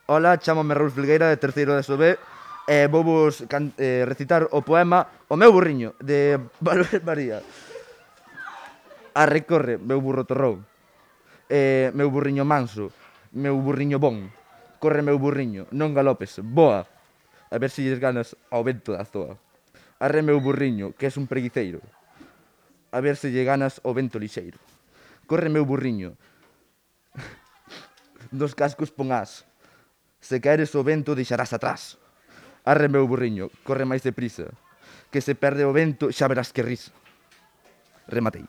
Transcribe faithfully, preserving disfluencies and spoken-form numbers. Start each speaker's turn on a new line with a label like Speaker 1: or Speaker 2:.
Speaker 1: Ola, chámame Raúl Filgueira, de terceiro de S O B, e vou vos can- eh, recitar o poema O meu burriño, de Valverde María. Arre, corre, meu burro torrón. Eh, meu burriño manso, meu burriño bon. Corre, meu burriño, non galopes, boa. A ver se lles ganas ao vento da zoa. Arre, meu burriño, que és un preguiceiro. A ver se lle ganas ao vento lixeiro. Corre, meu burriño, dos cascos pon as. Se caeres o vento deixarás atrás. Arre, meu burriño, corre máis deprisa, que se perde o vento xa verás que risa. Rematei.